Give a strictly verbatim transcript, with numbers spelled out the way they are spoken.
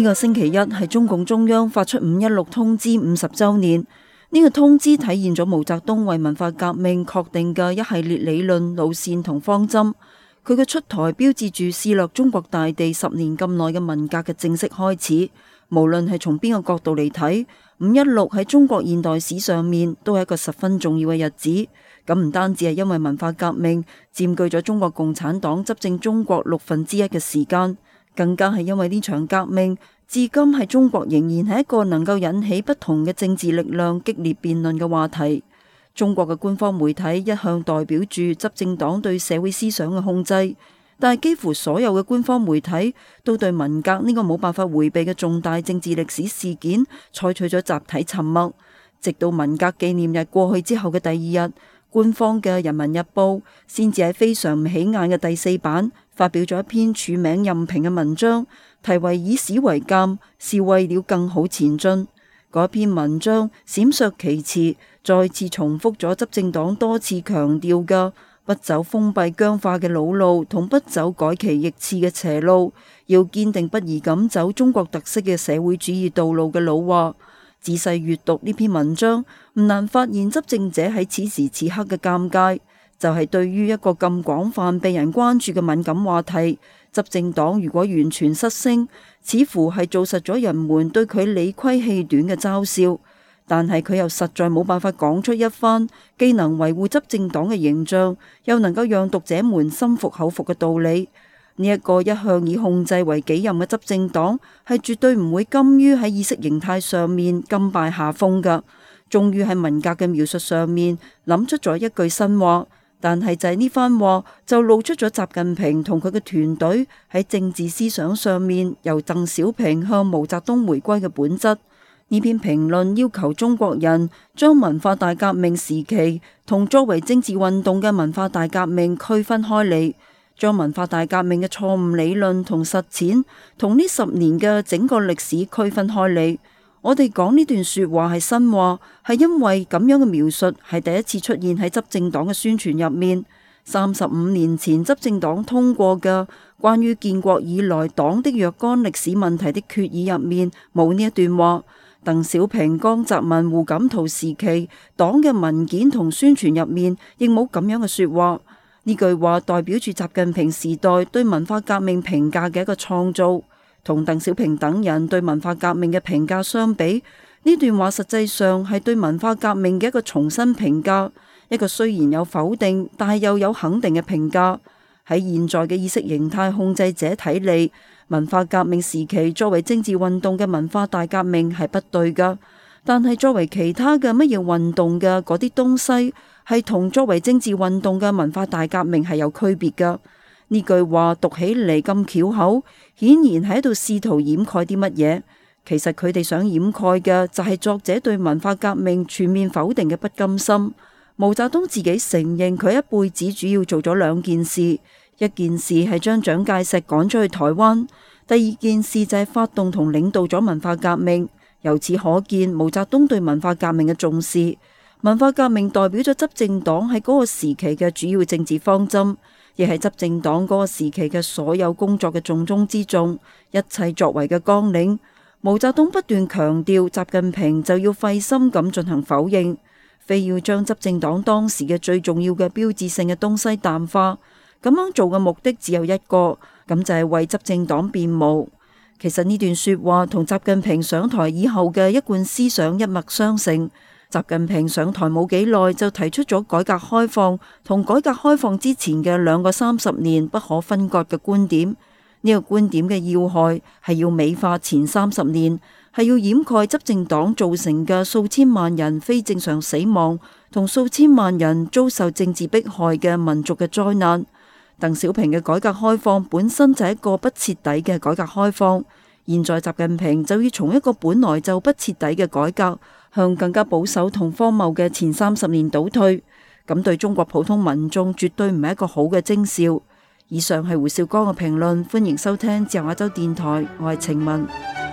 呢個星期一係中共中央發出五一六通知五十週年。呢個通知體現咗毛澤東為文化革命確定嘅一系列理論路線同方針。佢嘅出台標誌住肆虐中國大地十年咁耐嘅文革嘅正式開始。無論係從邊個角度嚟睇，五一六喺中國現代史上面都係一個十分重要嘅日子。咁唔單止係因為文化革命佔據咗中國共產黨執政中國六分之一嘅時間，更加係因為呢場革命至今喺中國仍然係一個能夠引起不同嘅政治力量激烈辯論嘅話題。中國嘅官方媒體一向代表住執政黨對社會思想嘅控制，但係幾乎所有嘅官方媒體都對文革呢個冇辦法回避嘅重大政治歷史事件採取咗集體沉默。直到文革紀念日過去之後嘅第二日，官方嘅《人民日報》先至喺非常唔起眼嘅第四版發表咗一篇署名任評嘅文章，題為以史為鑑，是為了更好前進。嗰篇文章閃爍其詞，再次重複咗執政黨多次強調嘅不走封閉僵化嘅老路同不走改旗易幟嘅邪路，要堅定不移咁走中國特色嘅社會主義道路嘅老話。仔細閱讀呢篇文章，唔難發現執政者喺此時此刻嘅尷尬，就係對於一個咁廣泛被人關注嘅敏感話題，執政黨如果完全失聲，似乎係做實咗人們對佢理虧氣短嘅嘲笑。但係佢又實在冇辦法講出一番既能維護執政黨嘅形象，又能夠讓讀者們心服口服嘅道理。呢一個一向以控制為己任嘅執政黨，係絕對唔會甘於喺意識形態上面甘拜下風噶。終於喺文革嘅描述上面諗出咗一句新話，但係就係呢番話就露出咗習近平同佢嘅團隊喺政治思想上面由鄧小平向毛澤東回歸嘅本質。呢篇評論要求中國人將文化大革命時期同作為政治運動嘅文化大革命區分開嚟，將文化大革命嘅錯誤理論同實踐同呢十年嘅整個歷史區分開嚟。我哋講呢段說話係新話，係因為咁樣嘅描述係第一次出現喺執政黨嘅宣傳入面。三十五年前執政黨通過嘅關於建國以來黨的若干歷史問題的決議入面冇呢一段話。鄧小平、江澤民、胡錦濤時期黨嘅文件同宣傳入面亦冇咁樣嘅說話。呢句話代表住習近平時代對文化革命評價嘅一個創造。同鄧小平等人對文化革命嘅評價相比，呢段話實際上係對文化革命嘅一個重新評價，一個雖然有否定，但係又有肯定嘅評價。喺現在嘅意識形態控制者睇嚟，文化革命時期作為政治運動嘅文化大革命係不對噶，但係作為其他嘅乜嘢運動嘅嗰啲東西，係同作為政治運動嘅文化大革命係有區別噶。呢句話讀起嚟咁巧口，顯然喺度試圖掩蓋啲乜嘢。其實佢哋想掩蓋嘅就係作者對文化革命全面否定嘅不甘心。毛澤東自己承認佢一輩子主要做咗兩件事，一件事係將蔣介石趕出去台灣，第二件事就係發動同領導咗文化革命。由此可見毛澤東對文化革命嘅重視。文化革命代表咗執政黨喺嗰個時期嘅主要政治方針，亦係執政黨嗰個時期嘅所有工作嘅重中之重，一切作為嘅綱領。毛澤東不斷強調，習近平就要費心咁進行否認，非要將執政黨當時嘅最重要嘅標誌性嘅東西淡化。咁樣做嘅目的只有一個，咁就係為執政黨辯護。其實呢段說話同習近平上台以後嘅一貫思想一脈相承。習近平上台冇幾耐就提出咗改革開放同改革開放之前嘅兩個三十年不可分割嘅觀點。呢個觀點嘅要害係要美化前三十年，係要掩蓋執政黨造成嘅數千萬人非正常死亡同數千萬人遭受政治迫害嘅民族嘅災難。鄧小平嘅改革開放本身就係一個不徹底嘅改革開放，現在習近平就要從一個本來就不徹底嘅改革向更加保守同荒謬嘅前三十年倒退，咁對中國普通民眾絕對唔係一個好嘅徵兆。以上係胡少江嘅評論，歡迎收聽自由亞洲電台，我係程文。